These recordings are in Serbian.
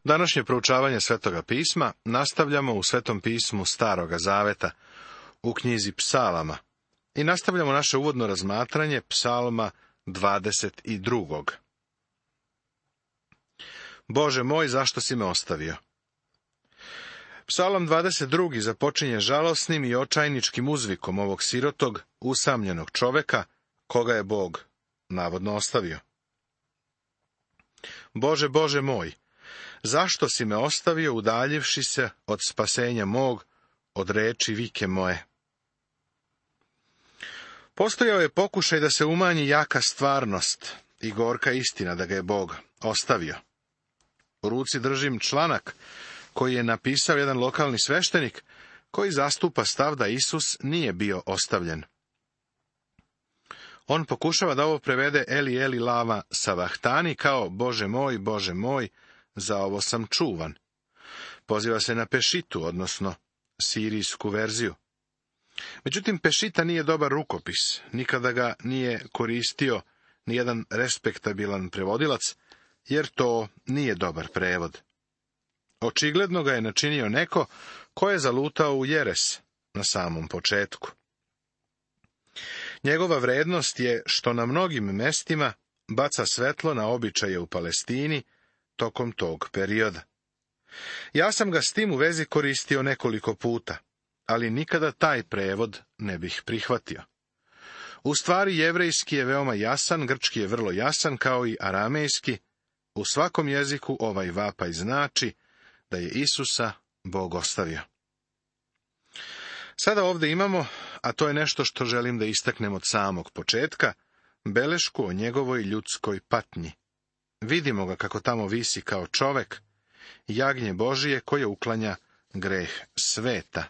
Današnje proučavanje Svetoga pisma nastavljamo u Svetom pismu Staroga zaveta, u knjizi Psalama, i nastavljamo naše uvodno razmatranje Psalma 22. Bože moj, zašto si me ostavio? Psalam 22. započinje žalosnim i očajničkim uzvikom ovog sirotog, usamljenog čoveka, koga je Bog navodno ostavio. Bože, Bože moj, zašto si me ostavio udaljivši se od spasenja mog, od reči vike moje? Postojao je pokušaj da se umanji jaka stvarnost i gorka istina da ga je Bog ostavio. U ruci držim članak koji je napisao jedan lokalni sveštenik koji zastupa stav da Isus nije bio ostavljen. On pokušava da ovo prevede Eli Eli lama savahtani kao Bože moj, za ovo sam čuvan. Poziva se na Pešitu, odnosno sirijsku verziju. Međutim, Pešita nije dobar rukopis, nikada ga nije koristio nijedan respektabilan prevodilac, jer to nije dobar prevod. Očigledno ga je načinio neko ko je zalutao u jeres na samom početku. Njegova vrednost je što na mnogim mestima baca svetlo na običaje u Palestini tokom tog perioda. Ja sam ga s tim u vezi koristio nekoliko puta, ali nikada taj prevod ne bih prihvatio. U stvari, jevrejski je veoma jasan, grčki je vrlo jasan, kao i aramejski. U svakom jeziku ovaj vapaj znači da je Isusa Bog ostavio. Sada ovdje imamo, a to je nešto što želim da istaknem od samog početka, belešku o njegovoj ljudskoj patnji. Vidimo ga kako tamo visi kao čovek, jagnje Božije koje uklanja greh sveta.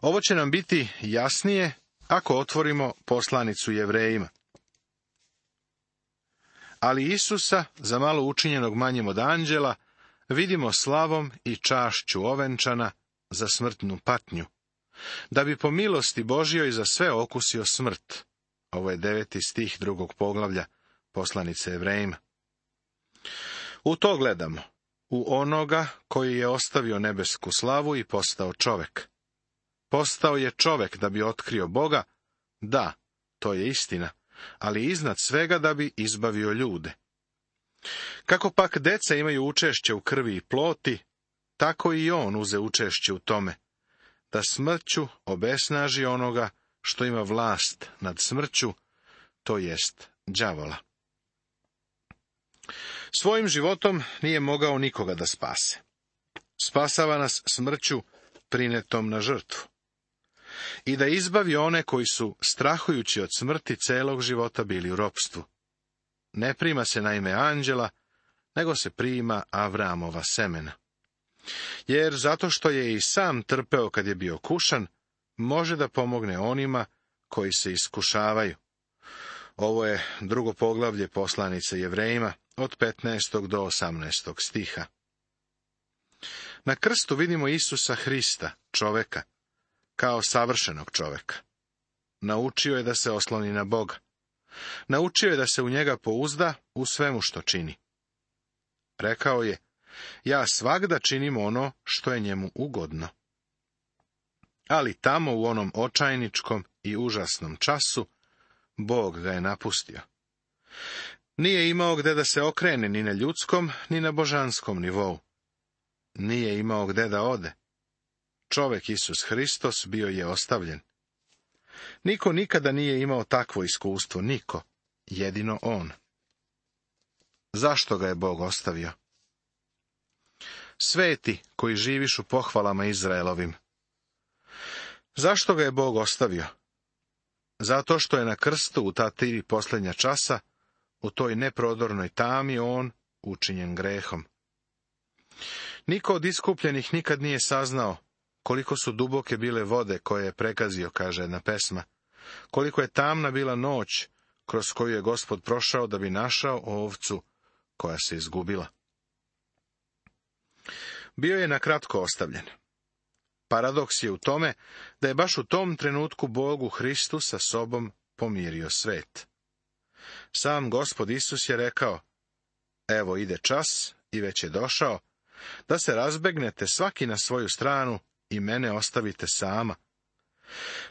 Ovo će nam biti jasnije ako otvorimo poslanicu Jevrejima. Ali Isusa, za malo učinjenog manjim od anđela, vidimo slavom i čašću ovenčana za smrtnu patnju, da bi po milosti Božjoj za sve okusio smrt. Ovo je 9. stih 2. poglavlja poslanice Jevrejima. U to gledamo, u onoga koji je ostavio nebesku slavu i postao čovek. Postao je čovek da bi otkrio Boga, da, to je istina, ali iznad svega da bi izbavio ljude. Kako pak deca imaju učešće u krvi i ploti, tako i on uze učešće u tome, da smrću obesnaži onoga što ima vlast nad smrću, to jest đavola. Svojim životom nije mogao nikoga da spase. Spasava nas smrću prinetom na žrtvu. I da izbavi one koji su, strahujući od smrti, celog života bili u ropstvu. Ne prima se naime anđela, nego se prima Avramova semena. Jer zato što je i sam trpeo kad je bio kušan, može da pomogne onima koji se iskušavaju. Ovo je 2. poglavlje poslanice Jevrejima, od 15. do 18. stiha. Na krstu vidimo Isusa Hrista, čoveka, kao savršenog čoveka. Naučio je da se osloni na Boga. Naučio je da se u njega pouzda u svemu što čini. Rekao je, ja svagda činim ono što je njemu ugodno. Ali tamo u onom očajničkom i užasnom času, Bog ga je napustio. Nije imao gde da se okrene ni na ljudskom, ni na božanskom nivou. Nije imao gde da ode. Čovek Isus Hristos bio je ostavljen. Niko nikada nije imao takvo iskustvo, niko, jedino on. Zašto ga je Bog ostavio? Sveti koji živiš u pohvalama Izraelovim. Zašto ga je Bog ostavio? Zato što je na krstu u ta 3 posljednja časa, u toj neprodornoj tami on učinjen grehom. Niko od iskupljenih nikad nije saznao koliko su duboke bile vode koje je pregazio, kaže jedna pesma, koliko je tamna bila noć kroz koju je Gospod prošao da bi našao ovcu koja se izgubila. Bio je na kratko ostavljen. Paradoks je u tome da je baš u tom trenutku Bog u Hristu sa sobom pomirio svet. Sam Gospod Isus je rekao, Evo ide čas, i već je došao, da se razbegnete svaki na svoju stranu i mene ostavite sama.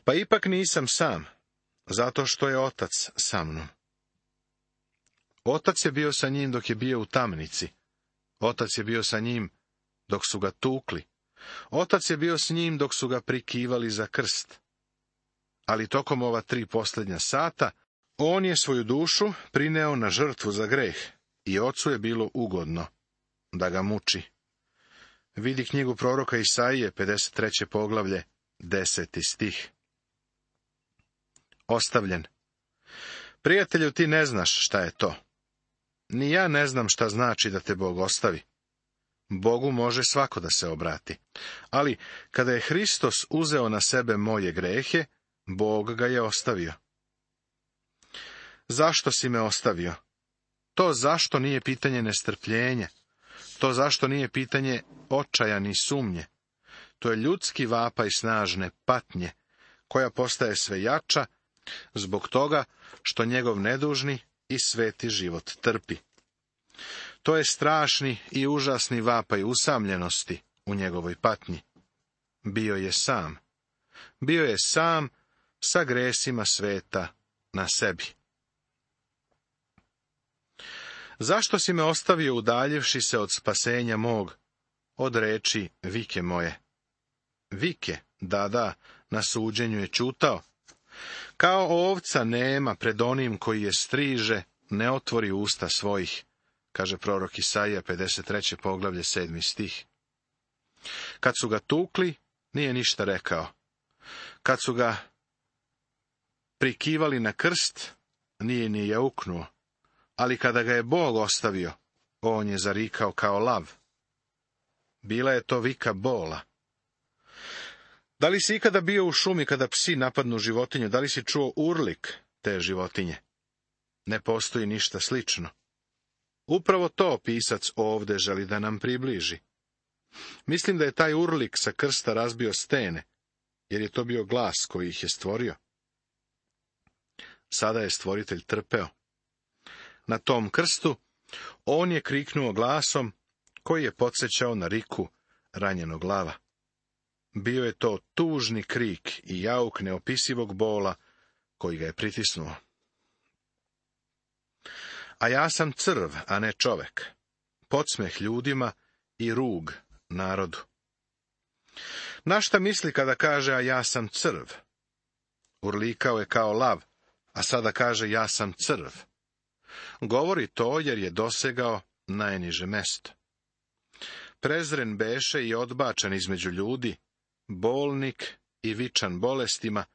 Pa ipak nisam sam, zato što je Otac sa mnom. Otac je bio sa njim dok je bio u tamnici. Otac je bio sa njim dok su ga tukli. Otac je bio s njim dok su ga prikivali za krst. Ali tokom ova 3 posljednja sata, on je svoju dušu prineo na žrtvu za greh i Ocu je bilo ugodno da ga muči. Vidi knjigu proroka Isaije, 53. poglavlje, 10. stih. Ostavljen. Prijatelju, ti ne znaš šta je to. Ni ja ne znam šta znači da te Bog ostavi. Bogu može svako da se obrati. Ali kada je Hristos uzeo na sebe moje grehe, Bog ga je ostavio. Zašto si me ostavio? To zašto nije pitanje nestrpljenja. To zašto nije pitanje očaja ni sumnje. To je ljudski vapaj snažne patnje, koja postaje sve jača zbog toga što njegov nedužni i sveti život trpi. To je strašni i užasni vapaj usamljenosti u njegovoj patnji. Bio je sam. Bio je sam sa gresima sveta na sebi. Zašto si me ostavio udaljivši se od spasenja mog, od reči vike moje? Vike, da, na suđenju je čutao. Kao ovca nema pred onim koji je striže, ne otvori usta svojih, kaže prorok Isaija, 53. poglavlje, 7. stih. Kad su ga tukli, nije ništa rekao. Kad su ga prikivali na krst, nije ni jauknuo. Ali kada ga je Bog ostavio, on je zarikao kao lav. Bila je to vika bola. Da li si ikada bio u šumi kada psi napadnu životinju? Da li si čuo urlik te životinje? Ne postoji ništa slično. Upravo to pisac ovde želi da nam približi. Mislim da je taj urlik sa krsta razbio stene, jer je to bio glas koji ih je stvorio. Sada je stvoritelj trpeo. Na tom krstu on je kriknuo glasom koji je podsjećao na riku ranjenog lava. Bio je to tužni krik i jauk neopisivog bola koji ga je pritisnuo. A ja sam crv, a ne čovek, podsmeh ljudima i rug narodu. Na šta misli kada kaže, a ja sam crv? Urlikao je kao lav, a sada kaže, ja sam crv. Govori to jer je dosegao najniže mesto. Prezren beše i odbačan između ljudi, bolnik i vičan bolestima,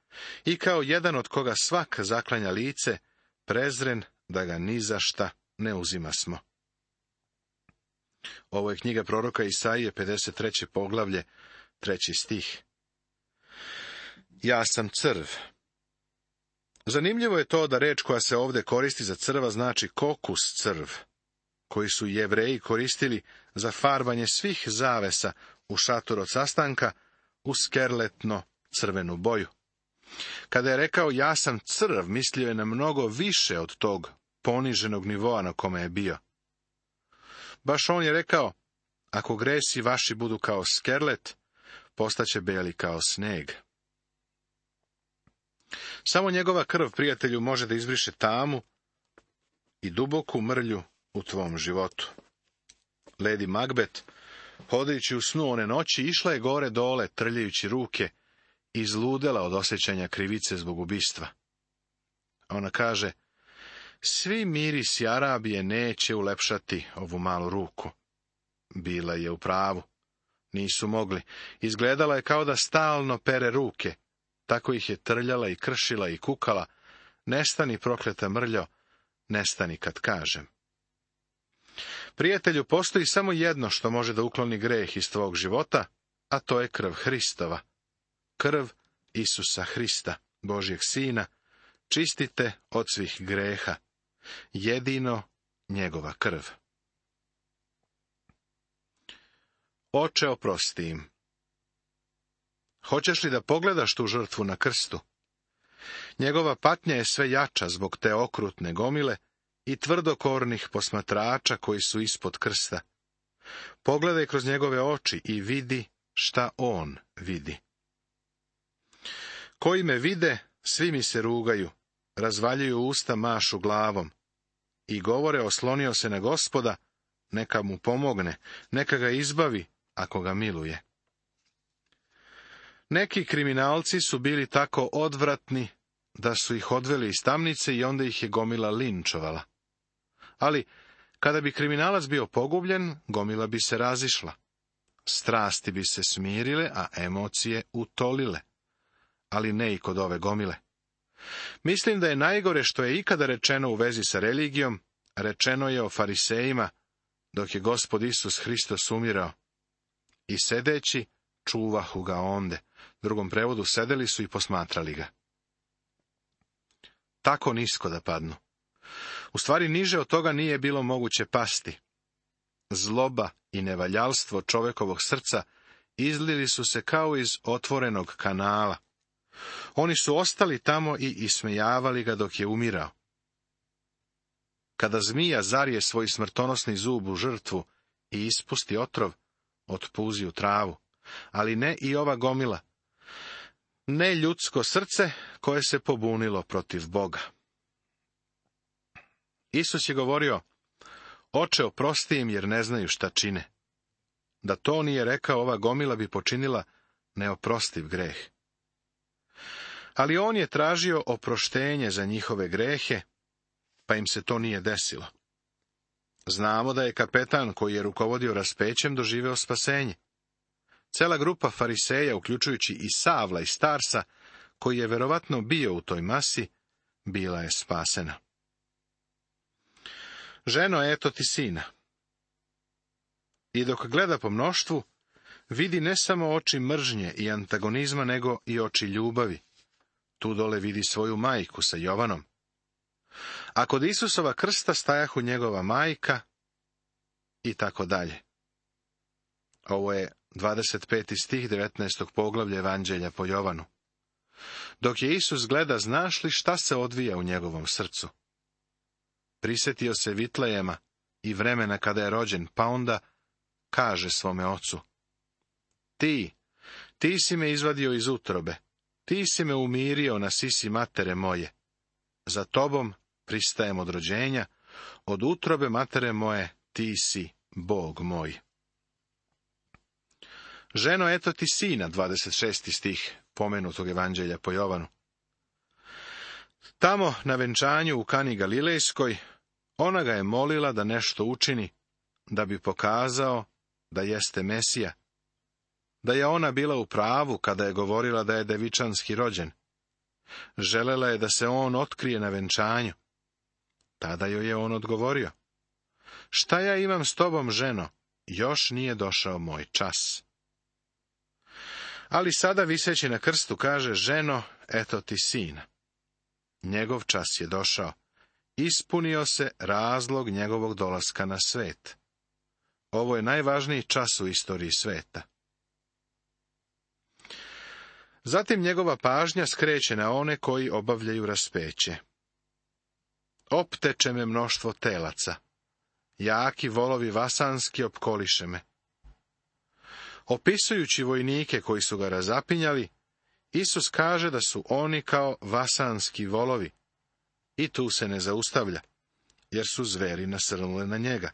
i kao jedan od koga svak zaklanja lice, prezren da ga ni za šta ne uzimasmo. Ovo je knjiga proroka Isaije, 53. poglavlje, 3. stih. Ja sam crv. Zanimljivo je to da reč koja se ovdje koristi za crva znači kokus crv, koji su Jevreji koristili za farbanje svih zavesa u šator od sastanka u skerletno crvenu boju. Kada je rekao ja sam crv, mislio je na mnogo više od tog poniženog nivoa na kome je bio. Baš on je rekao, ako gresi vaši budu kao skerlet, postaće beli kao sneg. Samo njegova krv, prijatelju, može da izbriše tamu i duboku mrlju u tvom životu. Lady Macbeth, hodajući u snu one noći, išla je gore dole, trljajući ruke, i izludela od osjećanja krivice zbog ubistva. Ona kaže, svi mirisi Arabije neće ulepšati ovu malu ruku. Bila je u pravu. Nisu mogli. Izgledala je kao da stalno pere ruke. Tako ih je trljala i kršila i kukala. Nestani, prokleta mrljo, nestani kad kažem. Prijatelju, postoji samo jedno što može da ukloni greh iz tvog života, a to je krv Hristova. Krv Isusa Hrista, Božjeg Sina, čistite od svih greha. Jedino njegova krv. Oče, oprosti im. Hoćeš li da pogledaš tu žrtvu na krstu? Njegova patnja je sve jača zbog te okrutne gomile i tvrdokornih posmatrača koji su ispod krsta. Pogledaj kroz njegove oči i vidi šta on vidi. Koji me vide, svi mi se rugaju, razvaljuju usta, mašu glavom i govore, oslonio se na Gospoda, neka mu pomogne, neka ga izbavi, ako ga miluje. Neki kriminalci su bili tako odvratni da su ih odveli iz tamnice i onda ih je gomila linčovala. Ali, kada bi kriminalac bio pogubljen, gomila bi se razišla. Strasti bi se smirile, a emocije utolile. Ali ne i kod ove gomile. Mislim da je najgore što je ikada rečeno u vezi sa religijom, rečeno je o farisejima, dok je Gospod Isus Hristos umirao. I sedeći, čuvahu ga onde. Drugom prevodu, sedeli su i posmatrali ga. Tako nisko da padnu. U stvari, niže od toga nije bilo moguće pasti. Zloba i nevaljalstvo čovekovog srca izlili su se kao iz otvorenog kanala. Oni su ostali tamo i ismejavali ga dok je umirao. Kada zmija zarije svoj smrtonosni zub u žrtvu i ispusti otrov, otpuzi u travu, ali ne i ova gomila. Ne ljudsko srce koje se pobunilo protiv Boga. Isus je govorio, Oče, oprosti im jer ne znaju šta čine. Da to nije rekao, ova gomila bi počinila neoprostiv greh. Ali on je tražio oproštenje za njihove grehe, pa im se to nije desilo. Znamo da je kapetan koji je rukovodio raspećem doživeo spasenje. Cela grupa fariseja, uključujući i Savla i Starsa, koji je verovatno bio u toj masi, bila je spasena. Ženo, eto ti sina. I dok gleda po mnoštvu, vidi ne samo oči mržnje i antagonizma, nego i oči ljubavi. Tu dole vidi svoju majku sa Jovanom. A kod Isusova krsta stajahu njegova majka i tako dalje. Ovo je 25. stih 19. poglavlja Evanđelja po Jovanu. Dok je Isus gleda, znaš li šta se odvija u njegovom srcu? Prisetio se Vitlejema i vremena kada je rođen, pa onda kaže svome ocu: Ti si me izvadio iz utrobe, ti si me umirio na sisi matere moje. Za tobom pristajem od rođenja, od utrobe matere moje ti si Bog moj. Ženo, eto ti sina, 26. stih pomenutog Evanđelja po Jovanu. Tamo, na venčanju u Kani Galilejskoj, ona ga je molila da nešto učini, da bi pokazao da jeste Mesija, da je ona bila u pravu kada je govorila da je devičanski rođen. Želela je da se on otkrije na venčanju. Tada joj je on odgovorio: Šta ja imam s tobom, ženo? Još nije došao moj čas. Ali sada, viseći na krstu, kaže: Ženo, eto ti sina. Njegov čas je došao. Ispunio se razlog njegovog dolaska na svet. Ovo je najvažniji čas u istoriji sveta. Zatim njegova pažnja skreće na one koji obavljaju raspeće. Opteče me mnoštvo telaca. Jaki volovi vasanski opkoliše me. Opisujući vojnike koji su ga razapinjali, Isus kaže da su oni kao vasanski volovi. I tu se ne zaustavlja, jer su zveri nasrnule na njega.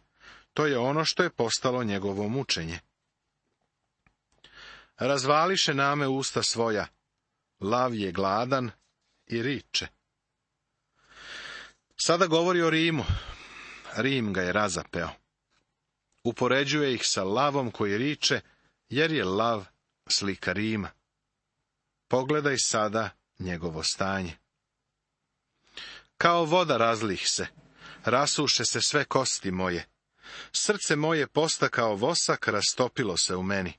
To je ono što je postalo njegovo mučenje. Razvališe name usta svoja, lav je gladan i riče. Sada govori o Rimu. Rim ga je razapeo. Upoređuje ih sa lavom koji riče, jer je lav slika Rima. Pogledaj sada njegovo stanje. Kao voda razlih se, rasuše se sve kosti moje. Srce moje posta kao vosak, rastopilo se u meni.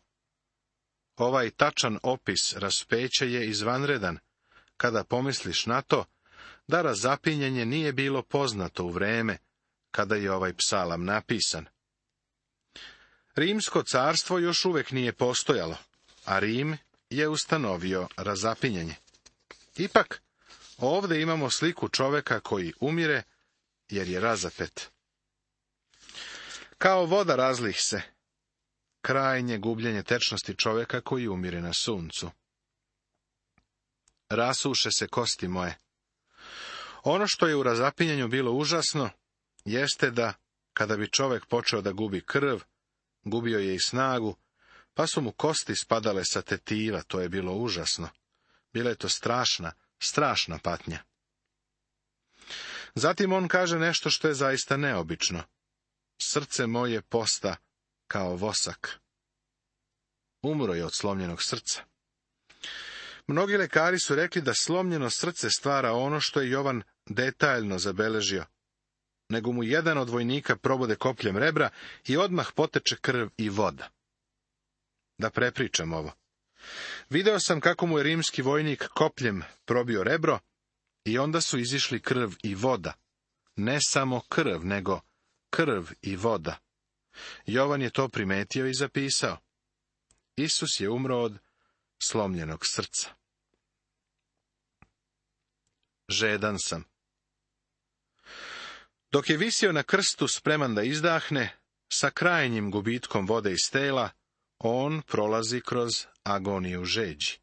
Ovaj tačan opis raspeća je izvanredan, kada pomisliš na to, da razapinjenje nije bilo poznato u vreme kada je ovaj psalam napisan. Rimsko carstvo još uvek nije postojalo, a Rim je ustanovio razapinjenje. Ipak, ovde imamo sliku čoveka koji umire jer je razapet. Kao voda razlih se, krajnje gubljenje tečnosti čovjeka koji umire na suncu. Rasuše se kosti moje. Ono što je u razapinjanju bilo užasno, jeste da, kada bi čovjek počeo da gubi krv, gubio je i snagu, pa su mu kosti spadale sa tetiva, to je bilo užasno. Bila je to strašna patnja. Zatim on kaže nešto što je zaista neobično. Srce moje posta kao vosak. Umro je od slomljenog srca. Mnogi lekari su rekli da slomljeno srce stvara ono što je Jovan detaljno zabeležio, nego mu jedan od vojnika probode kopljem rebra i odmah poteče krv i voda. Da prepričam ovo. Video sam kako mu je rimski vojnik kopljem probio rebro i onda su izišli krv i voda. Ne samo krv, nego krv i voda. Jovan je to primetio i zapisao. Isus je umro od slomljenog srca. Žedan sam. Dok je visio na krstu spreman da izdahne, sa krajnjim gubitkom vode iz tela, on prolazi kroz agoniju žeđi.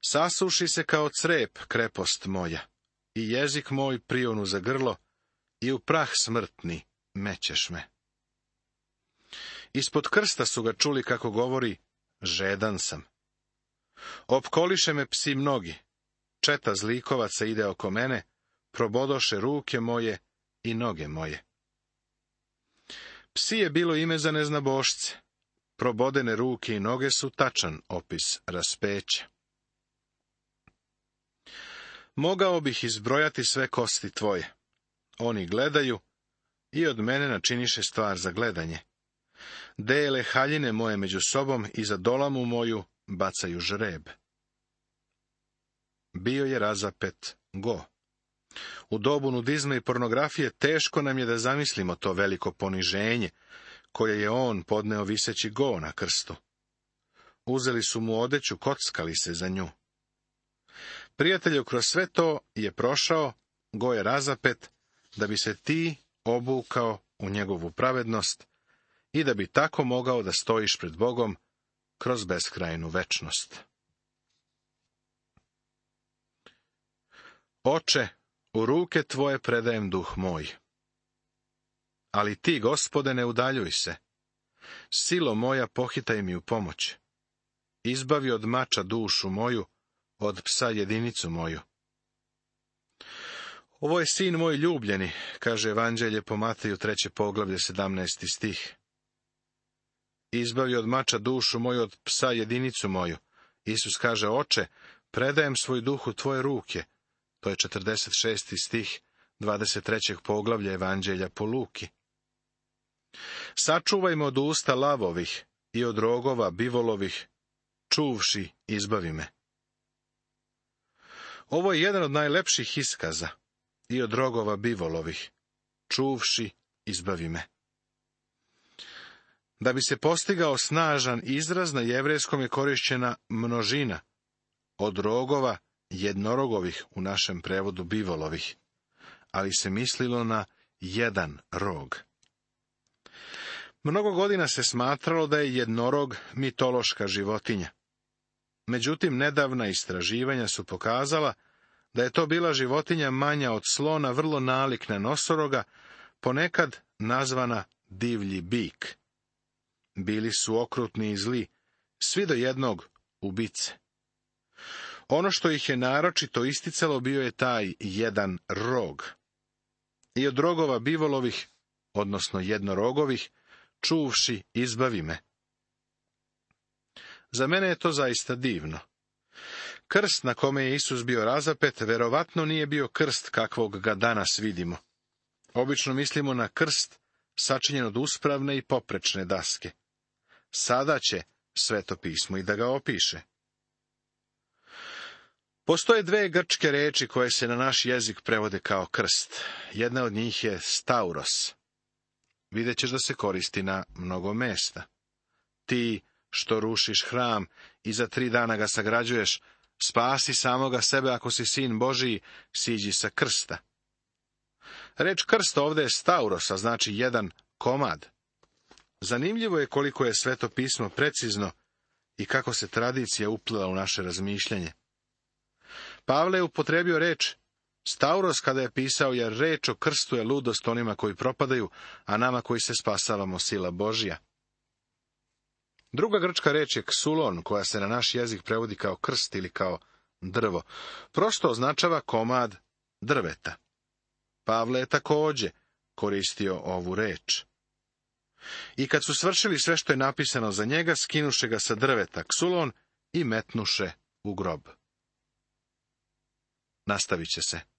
Sasuši se kao crep krepost moja, i jezik moj prionu za grlo, i u prah smrtni mećeš me. Ispod krsta su ga čuli kako govori, žedan sam. Opkoliše me psi mnogi, četa zlikovaca ide oko mene, probodoše ruke moje i noge moje. Psi je bilo ime za neznabošce, probodene ruke i noge su tačan opis raspeća. Mogao bih izbrojati sve kosti tvoje. Oni gledaju i od mene načiniše stvar za gledanje. Dele haljine moje među sobom i za dolamu moju bacaju žreb. Bio je razapet go. U dobu nudizma i pornografije teško nam je da zamislimo to veliko poniženje koje je on podneo viseći go na krstu. Uzeli su mu odeću, kockali se za nju. Prijatelju, kroz sve to je prošao, go je razapet, da bi se ti obukao u njegovu pravednost i da bi tako mogao da stojiš pred Bogom kroz beskrajnu večnost. Oče, u ruke tvoje predajem duh moj. Ali ti, Gospode, ne udaljuj se. Silo moja, pohitaj mi u pomoć. Izbavi od mača dušu moju, od psa jedinicu moju. Ovo je sin moj ljubljeni, kaže Evanđelje po Mateju 3. poglavlje 17. stih. Izbavi od mača dušu moju, od psa jedinicu moju. Isus kaže, Oče, predajem svoj duh u tvoje ruke. To je 46. stih 23. poglavlja Evanđelja po Luki. Sačuvaj me od usta lavovih i od rogova bivolovih, čuvši izbavi me. Ovo je jedan od najlepših iskaza, i od rogova bivolovih, čuvši izbavi me. Da bi se postigao snažan izraz, na jevrejskom je korišćena množina, od rogova jednorogovih, u našem prevodu bivolovih, ali se mislilo na jedan rog. Mnogo godina se smatralo da je jednorog mitološka životinja. Međutim, nedavna istraživanja su pokazala da je to bila životinja manja od slona, vrlo nalik na nosoroga, ponekad nazvana divlji bik. Bili su okrutni i zli, svi do jednog ubice. Ono što ih je naročito isticalo bio je taj jedan rog. I od rogova bivolovih, odnosno jednorogovih, čuvši izbavi me. Za mene je to zaista divno. Krst na kome je Isus bio razapet, verovatno nije bio krst kakvog ga danas vidimo. Obično mislimo na krst sačinjen od uspravne i poprečne daske. Sada će Sveto pismo i da ga opiše. Postoje dve grčke reči koje se na naš jezik prevode kao krst. Jedna od njih je stauros. Vidjet ćeš da se koristi na mnogo mesta. Ti što rušiš hram i za 3 dana ga sagrađuješ, spasi samoga sebe ako si sin Božiji, siđi sa krsta. Reč krst ovdje je stauros, a znači jedan komad. Zanimljivo je koliko je Sveto pismo precizno i kako se tradicija uplela u naše razmišljanje. Pavle je upotrebio reč stauros kada je pisao, jer reč o krstu je ludost onima koji propadaju, a nama koji se spasavamo sila Božja. Druga grčka reč je ksulon, koja se na naš jezik prevodi kao krst ili kao drvo. Prosto označava komad drveta. Pavle je također koristio ovu reč. I kad su svršili sve što je napisano za njega, skinuše ga sa drveta ksulon i metnuše u grob. Nastavit će se.